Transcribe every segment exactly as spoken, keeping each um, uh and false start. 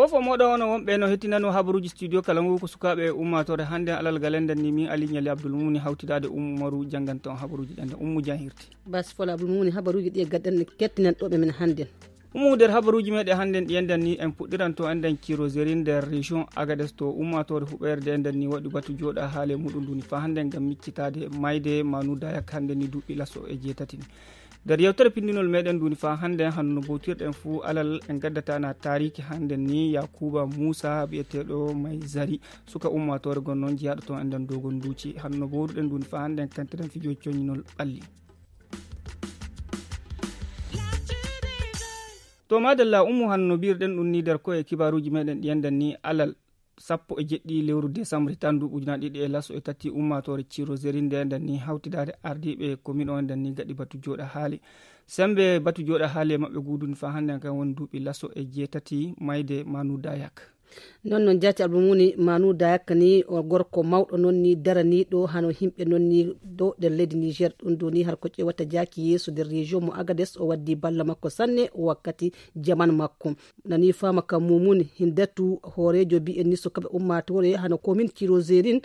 Fof o moɗo ono wonɓe no hettinano habaruuji studio kala ngu ko sukaaɓe e ummaatoore hannde alal galenden ni min ali ñali abdoulmumuni hawtidaade ummu maru jannganta on habaruuji ɗen ɗe ummu jan hirti. Basi fola abdoulmumuni habaruuji ɗi e gaddan kettinan ɗoɓe men hannden. Ummu nder habaruuji meɗen hannden ɗi enɗan ni en puɗɗiranto enɗan ciroseri nder région agades to ummaatoore huɓeerde enɗan ni waɗi batu jooɗa haale muɗum nduni fa hannden ngam miccitaade mayde manu dayak hannden ni duuɓi laso e jeetati ni. Nder yewtere pinndinol meɗen nduni fa hannden hanno bowtirɗen fuu alal en gaddatana taariki hannden ni yakuba muusa biyeteeɗo may zari suka ummaatoore gonnoon jiyaaɗo toon enɗan dogon nduuci hanno bowruɗen nduni fa hannden kantiren fijo coñinol ɓalli. To madalla ummu hanno mbirɗen ɗum ni nder koye kibaruuji meɗen ɗi enɗan ni alal sappo e jeɗɗi lewru décembre tan nduuɓu ujunaaji ɗiɗi e laso e tati ummaatoore ciroseri nde enɗan ni hawtidaade ardiiɓe commune o enɗan ni gaɗi batu jooɗa haali. Sembe batu jooɗa haali e maɓɓe guuduni fa hannden kan woni duuɓi laso e jeetati mayde manu dayak. Non non jaati abdul muni manu dayak ni o gorko mawɗo non ni daraniiɗo hano himɓe non ni ɗo nder leydi niger ɗum ɗo ni har ko ƴewata jaaki yeeso nder région mo agades o waddi balla makko sanne wakkati jaman makko. Nani fama ka mumuni hindatu hoorejo mbi'en ni sukaɓe ummatore hano komin cirozerin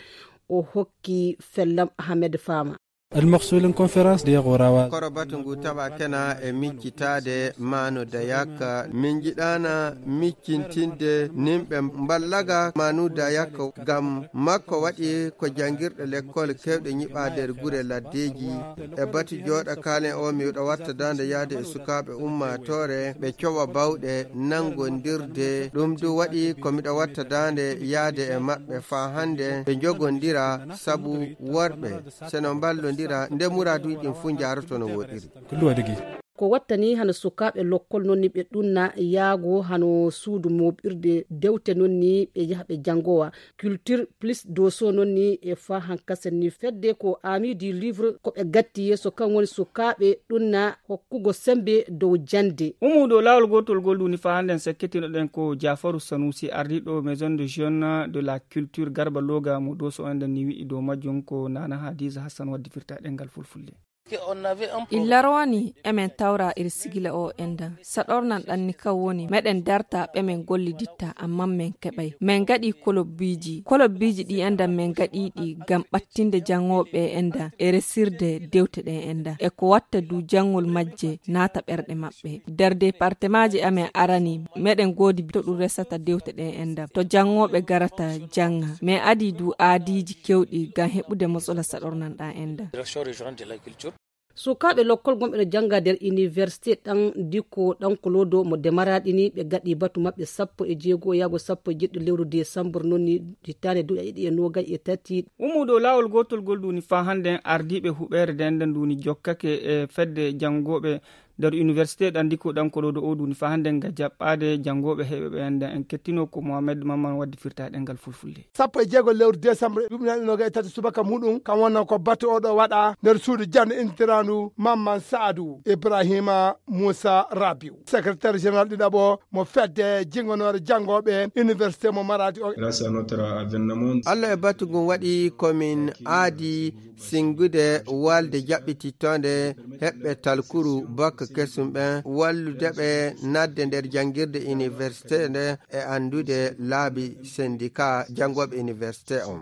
o hokki fellam ahmed fama. Almaqsulin conférence de yagorawa. Koro batu ngu tawa kena e miccitaade maano dayaka min jiɗaana miccintinde nimɓe mballaga maanu dayaka ngam makko waɗi ko janngirɗe lekkol kewɗe ñiɓaa nder gure laddeeji. E batu jooɗa kaalen o miwɗo watta daande yahde e sukaaɓe ummaatoore ɓe cowa bawɗe nanngondirde ɗum du waɗi ko miɗo watta daande yahde e maɓɓe faa hannde ɓe njogondira sabu worɓe se no mballondira nde muraaduuji ɗin fuu njaaroto no woɗiri. Ko wattani hano sukaaɓe lokkol non ni ɓe ɗunna yaago hano suudu moɓirde dewte non ni ɓe yaha ɓe janngowa culture plus doso non ni e fa hankasen ni fedde ko ami du livre ko ɓe gatti yeeso kan woni sukaaɓe ɗunna hokkugo sembe dow jannde. Umuɗo laawol gootol gol ɗuni fa hannden sekkitinoɗen ko jafaru sanusi ardiɗo maison de jeune de la culture garba loga mo doso enɗen ni wi'i dow majjum ko nana hadisa hassan waddi firta ɗengal fulfulde. Illa rowani emen tawra ir sigila o endan saɗornan ɗanni kan woni meɗen darta ɓemen golliditta amma men keɓay men gaɗi kolobbiji kolobbiji ɗi endan men gaɗiɗi ngam ɓattinde jangoɓe endan e resirde dewte ɗen endan e ko watta du jangol majje naata ɓerɗe maɓɓe nder departemaji amen arani meɗen godi to ɗum resata dewte ɗen endan to jangoɓe garata janga men adi du aadiji kewɗi ngam heɓude mosola saɗornan ɗan endan. Sukaaɓe lokkol gonɓe no jannga nder iniwersite ɗan dikko ɗan kolodo mo demaraɗini ɓe gaɗi batu maɓɓe sappo e jeego yaago sappo e jeɗɗo lewru desambur nonni hittaande duuɓi ɗiɗi e noogay e tati. Ummuɗo laawol gootol gol ɗuni faa hannden ardiiɓe huɓeere nden nden ɗuni jokkake e fedde janngooɓe nder iniwersite ɗan dikko ɗan kolodo o ɗuni faa hannden ga jaɓɓaade janngooɓe heɓeɓe enɗen en kettino ko mohamed mamman waddi firta e ɗengal fulfulde. Sappo e jeego lewru desambur ɗuɓinaɗe noga e tati subaka muɗum kam wonno ko batu oɗo waɗa nder suudu jande intirandu mamman saadu ibrahima moussa rabiu secrétaire général ɗiɗaɓo mo fedde jingonore janngoɓe université mo maradi o. Grâce à notre avènement. Allah e batu ngun waɗi komin aadi singude walde jaɓɓitittonde heɓɓe talkuru bakka kesum ɓen wallude ɓe nadde nder janngirde université nde e anndude laabi sendika janngoɓe université on.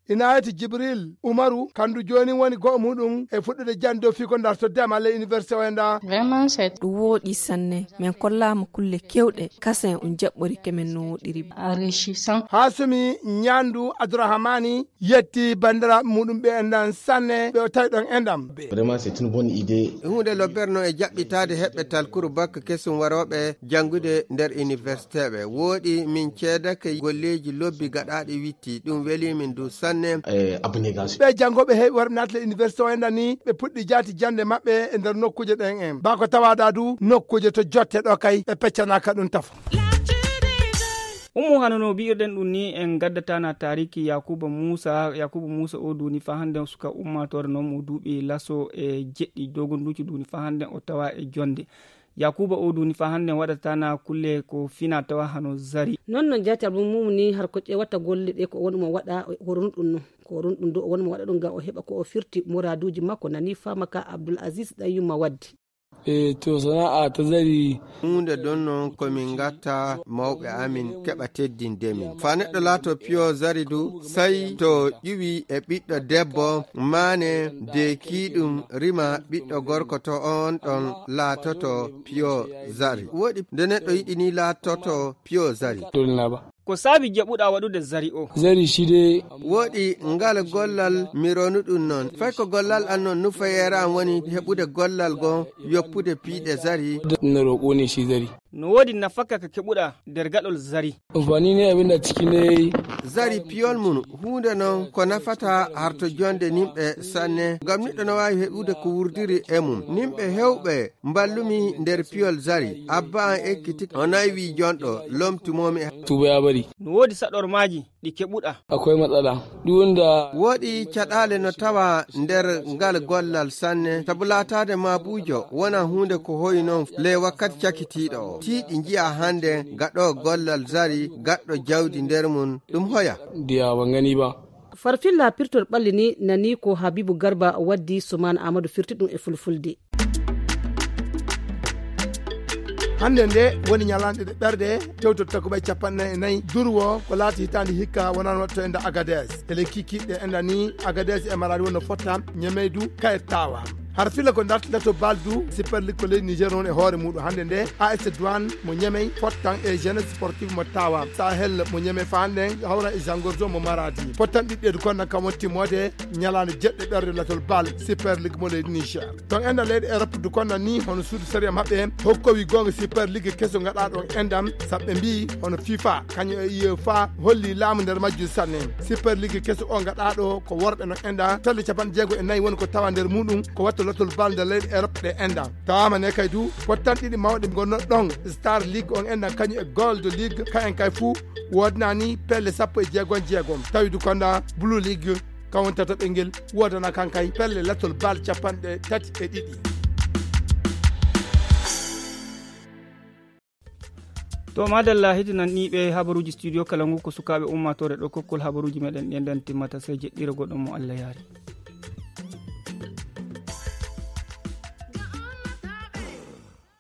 Ina ayiti jibril umaru kandu joni woni go'o muɗum e fuɗɗude jannde o fii ko darto dema le université o e nda. Vraiment c'est ɗum wooɗi sanne min kollaama kulle kewɗe kasen on jaɓɓorike men no woɗiri. Enrichissant. Hasumi ñandu abdourahamani yetti bandiraɓe muɗum ɓe enɗan sanne ɓe o tawi ɗon enɗam. Vraiment c'est une bonne idée. Hunde lobbere noon e jaɓɓitaade heɓɓe talkuru bakka kesum warooɓe janngude nder université ɓe wooɗi min ceedake golleeji lobbi gaɗaaɗi witti ɗum weli min du sanne. Ɓe janngooɓe heewi warɓe naatde université o enɗan ni ɓe puɗɗi jaati jannde maɓɓe e nder nokkuuje ɗen en bako tawaɗa du nokkuuje to jotte ɗo kay ɓe peccanaaka ɗum tafo. Ummu hano no bi'irɗen ɗum ni en gaddatana taariki yakuba muusa yakuba muusa o duuni fa hannde suka ummaatoore noon mo duuɓi laso e jeɗɗi dogonduuji duuni fa hannde o tawa e jonnde. Yakuba o duuni fa hannde waɗatana kulle ko fina tawa hano zari. Noon no jaati abdul mumu ni har ko ƴewata golle ɗe ko woni mo waɗa horon ɗum no ko horon ɗum do o woni mo waɗa ɗum ngam o heɓa ko o firti muraduuji makko nani fama ka abdul aziz ɗan yumma waddi. E to sana'a ta zari. Huunde ɗon noon ko min ngatta mawɓe amin keɓa teddinde min. Faa neɗɗo laato piyo zari du, sey to ƴuwi e ɓiɗɗo debbo maane deekiiɗum rima ɓiɗɗo gorko to oon ɗon laatoto piyo zari. Woɗi nde neɗɗo yiɗi ni laatoto piyo zari. Dolna ba. Ko saabi jaɓuɗaa waɗude zari o? Zari side. Woɗi ngal gollal mi ronu ɗum noon. Fay ko gollal an noon nufayeere an woni heɓude gollal goo yoppude piiɗe zari. No roƙo ne shi zari. No woodi nafaka ka keɓuɗaa nder gaɗol zari? Amfani ne abin da ciki ne. Zari piyol mum huunde noon ko nafata harto jonde nimɓe sanne. Ngam niɗɗo no waawi heɓude ko wurdiri e mum. Nimɓe hewɓe mballumi nder piyol zari. Abba an ekkiti o nayi wi jonɗo lomtumomi e. Tuba ya bari. No woodi saɗormaaji ɗi keɓuɗa? Akwai matsala. Ɗum wonda. Woɗi caɗaale no tawa nder ngal gollal sanne. Sabu laataade maabuujo wona huunde ko hoyi noon ley wakkati cakitiiɗo o. Tiiɗi njiya hannde gaɗo gollal zari gaɗɗo jawdi nder mum ɗum hoya. Diya ba ngani ba. Farfilla pirtol ɓalli ni nani ko Habibu Garba waddi, Suman Amadu firti ɗum e fulfulde. Hannde nde woni ñalaande ɗe ɓerɗe tewtotta ko ɓay capanɗe nayi e nayi durwo ko laati hitaande hikka wonano waɗto enda Agades. Ele kikiɗe enda ni Agades e Maradi wonno fotta ñemeydu kayet tawa. Har fila ko dartinta to baldu Super League ko leydi Niger noon e hoore muɗum hannde nde A S Douane mo Ñemey fottan e Jeunesse Sportive mo Tawa, Sahel mo Ñemey fa hannde hawra e Jangorzo mo Maradi. Fottan ɗiɗɗeedu kon nan kam won timmoode ñalaande jeɗɗe ɓerde latol bal Super League mo leydi Niger. Ton enda leyɗe Europe du kon nan ni hono suudu sariya maɓɓe hokkowi gonga Super League keso gaɗa ɗon endam saɓɓe mbi hono FIFA kañum e UEFA holli laamu nder majjum sanne. Super League keso o gaɗa ɗo ko worɓe no enda telle capanɗe jeego e nayi woni ko tawa nder muɗum ko watta lotol bal nder leyɗe Europe ɗe enda. Tawama ne kay du pottan ɗiɗi mawɗe gonno ɗon Star League on enda kañum e Gold League ka en kay fuu wodnani pelle sappo e jeegom jeegom tawi du konda Blue League ka won tataɓel ngel wodana kan kay pelle latol bal capanɗe tati e ɗiɗi. To madalla hidinan ɗiɓe habaruuji studio kala ngu ko sukaaɓe ummaatoore ɗo kokkol habaruuji meɗen ɗen ɗen timmata sey jeɗɗira goɗɗo mo Allah yaari.